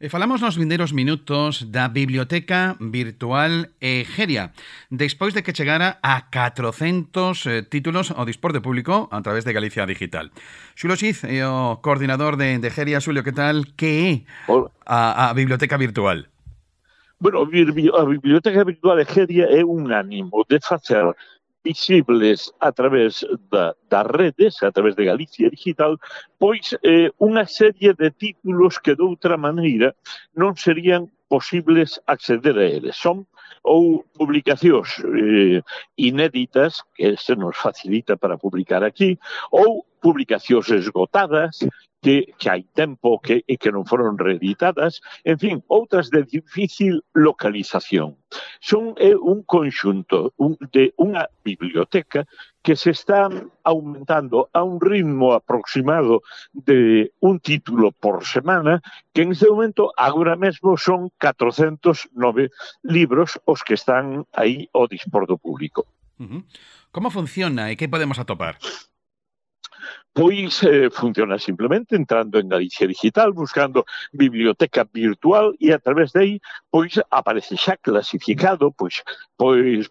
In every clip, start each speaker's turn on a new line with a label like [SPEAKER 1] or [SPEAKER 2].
[SPEAKER 1] Falamos nos vindeiros minutos da Biblioteca Virtual Egeria, despois de que chegara a 400 títulos ao dispor de público a través de Galicia Digital. Xulio Xiz é o coordinador de Egeria. Xulio, que tal? Que é a Biblioteca Virtual?
[SPEAKER 2] Bueno, a Biblioteca Virtual Egeria é un ánimo de facer visibles a través das redes, a través de Galicia Digital, pois unha serie de títulos que de outra maneira non serían posibles acceder a eles. Son ou publicacións inéditas, que se nos facilita para publicar aquí, ou publicacións esgotadas, que hai tempo que non foron reeditadas, en fin, outras de difícil localización. Son un conxunto de unha biblioteca que se está aumentando a un ritmo aproximado de un título por semana, que en este momento, agora mesmo, son 409 libros os que están aí ao dispor do público.
[SPEAKER 1] Como funciona e que podemos atopar?
[SPEAKER 2] Pois funciona simplemente entrando en Galicia Digital, buscando biblioteca virtual e a través de aí pois aparece xa clasificado pois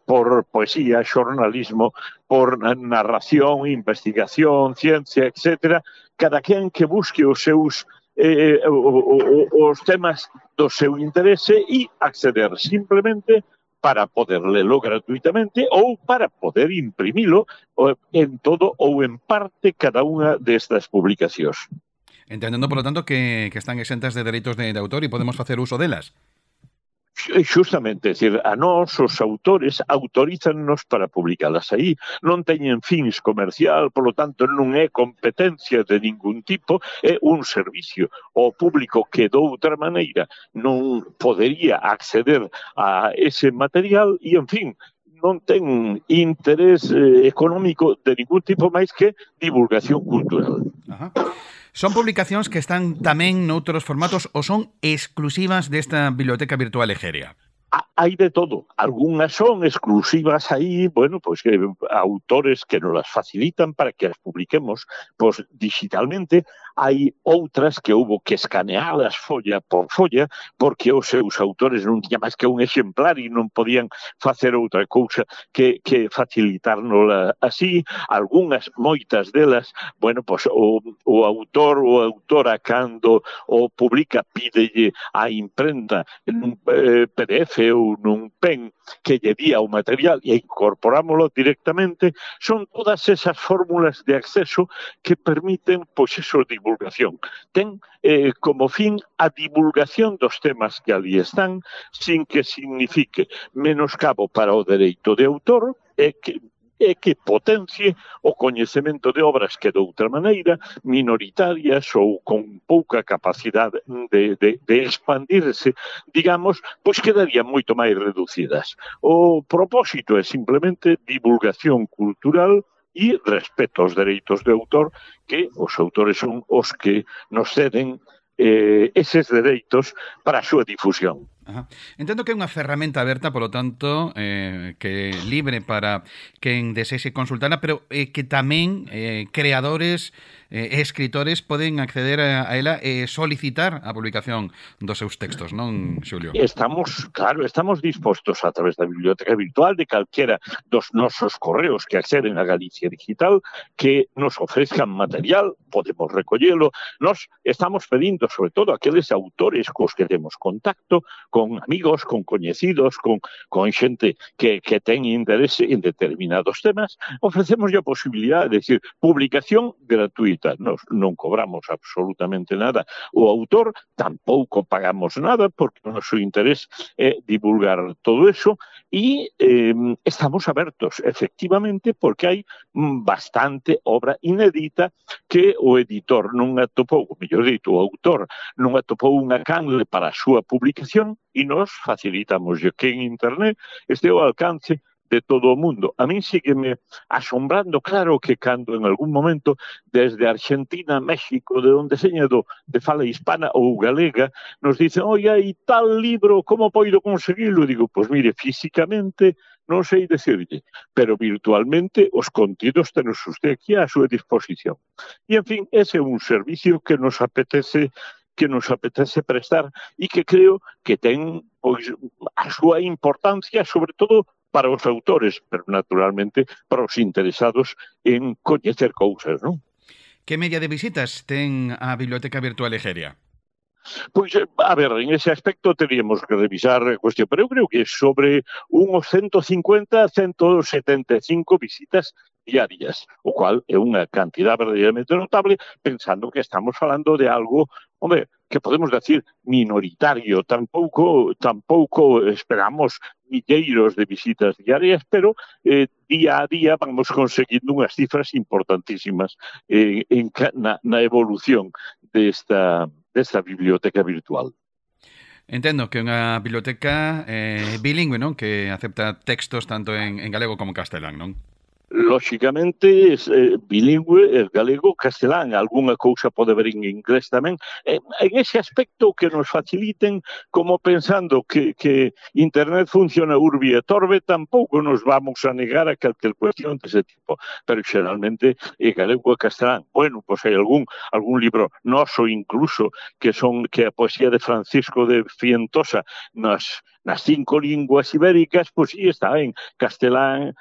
[SPEAKER 2] por poesía, xornalismo, por narración, investigación, ciencia, etc. Cada quen que busque os seus os temas do seu interese e acceder simplemente para poder lelo gratuitamente ou para poder imprimilo en todo ou en parte cada unha destas publicacións.
[SPEAKER 1] Entendendo, por lo tanto, que están exentas de dereitos de autor e podemos facer uso delas.
[SPEAKER 2] Justamente, é dicir, a nós, os autores, autorízannos para publicalas aí. Non teñen fins comercial, polo tanto, non é competencia de ningún tipo, é un servicio ao público que de outra maneira non podería acceder a ese material e, en fin, non ten interés económico de ningún tipo máis que divulgación cultural.
[SPEAKER 1] Ajá. Son publicacións que están tamén noutros formatos ou son exclusivas desta Biblioteca Virtual Egeria?
[SPEAKER 2] Hai de todo. Algúnas son exclusivas aí, bueno, pois que autores que nos las facilitan para que as publiquemos pois digitalmente. Hai outras que houbo que escanealas folla por folla, porque os seus autores non tiña máis que un exemplar e non podían facer outra cousa que facilitárnosla así. Algúnas, moitas delas, bueno, pois o autor ou autora cando o publica pídelle a imprenta en un PDF ou nun pen que lle día o material e incorporámoslo directamente. Son todas esas fórmulas de acceso que permiten, pois, eso, divulgación. Ten como fin a divulgación dos temas que ali están, sin que signifique menoscabo para o dereito de autor e que potencie o coñecemento de obras que de outra maneira, minoritarias ou con pouca capacidade de expandirse, digamos, pois quedarían moito máis reducidas. O propósito é simplemente divulgación cultural e respeto aos dereitos de autor, que os autores son os que nos ceden eses dereitos para a súa difusión.
[SPEAKER 1] Ajá. Entendo que é unha ferramenta aberta, polo tanto, que é libre para quen desexe consultala, pero que tamén creadores e escritores poden acceder a ela e solicitar a publicación dos seus textos, non, Xulio?
[SPEAKER 2] Estamos dispostos a través da Biblioteca Virtual de calquera dos nosos correos que acceden a Galicia Digital que nos ofrezcan material, podemos recollelo. Nos estamos pedindo, sobre todo, a aqueles autores cos que temos contacto, con amigos, con coñecidos, con xente que ten interese en determinados temas, ofrecemos a posibilidade de decir, publicación gratuita. Nos non cobramos absolutamente nada. O autor tampouco pagamos nada porque o noso interés é divulgar todo eso e estamos abertos, efectivamente, porque hai bastante obra inédita que o editor non atopou, o mellor dito, o autor non atopou unha canle para a súa publicación e nos facilitamos que en internet este ao alcance de todo o mundo. A min sígueme asombrando, claro que cando en algún momento desde Argentina, México, de onde seña de fala hispana ou galega, nos dicen, oi, hai tal libro, como poido conseguilo? Digo, pois mire, físicamente non sei decirlle, pero virtualmente os contidos tenos usted aquí á súa disposición. E, en fin, ese é un servicio que nos apetece que nos apetece prestar e que creo que ten pois, a súa importancia, sobre todo para os autores, pero naturalmente para os interesados en coñecer cousas, non?
[SPEAKER 1] Que media de visitas ten a Biblioteca Virtual Egeria?
[SPEAKER 2] Pois, a ver, en ese aspecto teríamos que revisar a cuestión, pero eu creo que sobre unos 150, 175 visitas diarias, o cual é unha cantidad verdadeiramente notable, pensando que estamos falando de algo, hombre, que podemos decir minoritario, tampouco esperamos milleiros de visitas diarias, pero día a día vamos conseguindo unhas cifras importantísimas na evolución desta biblioteca virtual.
[SPEAKER 1] Entendo que é unha biblioteca bilingüe, non? Que acepta textos tanto en galego como en castelán, non?
[SPEAKER 2] Lóxicamente, bilingüe, galego, castelán, algunha cousa pode haber en inglés tamén. En ese aspecto que nos faciliten, como pensando que Internet funciona urbi e torbe, tampouco nos vamos a negar a calquer cuestión dese tipo. Pero xeralmente é galego e castelán. Bueno, pois hai algún libro noso incluso que a poesía de Francisco de Fientosa nas 5 linguas ibéricas, pois sí está en castelán,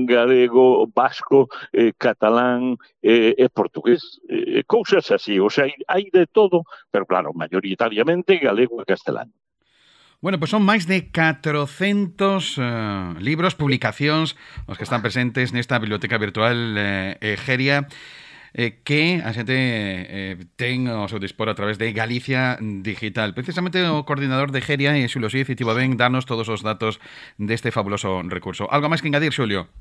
[SPEAKER 2] galego, vasco, catalán e portugués, cousas así, o sea, hai de todo, pero claro, mayoritariamente galego e castelán.
[SPEAKER 1] Bueno, pues son máis de 400 libros, publicacións, os que están presentes nesta biblioteca virtual Egeria, que a xente ten ao seu dispor a través de Galicia Digital. Precisamente o coordinador de Egeria, Xulio Cid, tivo ben darnos todos os datos deste fabuloso recurso. Algo máis que engadir, Xulio?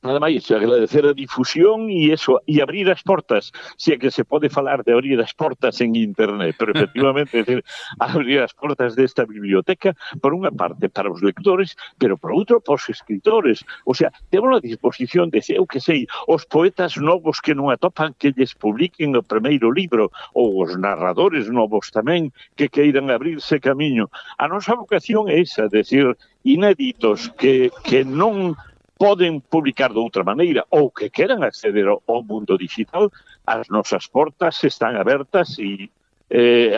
[SPEAKER 2] Nada máis, agradecer a difusión e eso, e abrir as portas, se é que se pode falar de abrir as portas en internet, pero efectivamente decir, abrir as portas desta biblioteca, por unha parte para os lectores, pero por outro para os escritores. O sea, temos a disposición de, eu que sei, os poetas novos que non atopan que lles publiquen o primeiro libro, ou os narradores novos tamén que queiran abrirse camiño. A nosa vocación é esa, decir, inéditos que non poden publicar de outra maneira ou que queran acceder ao mundo digital, as nosas portas están abertas e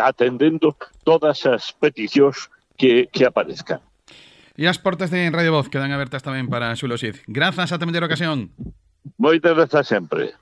[SPEAKER 2] atendendo todas as peticións que aparezcan.
[SPEAKER 1] E as portas de Radio Voz quedan abertas tamén para Xulio Cid. Grazas, ata mellor ocasión.
[SPEAKER 2] Moitas grazas sempre.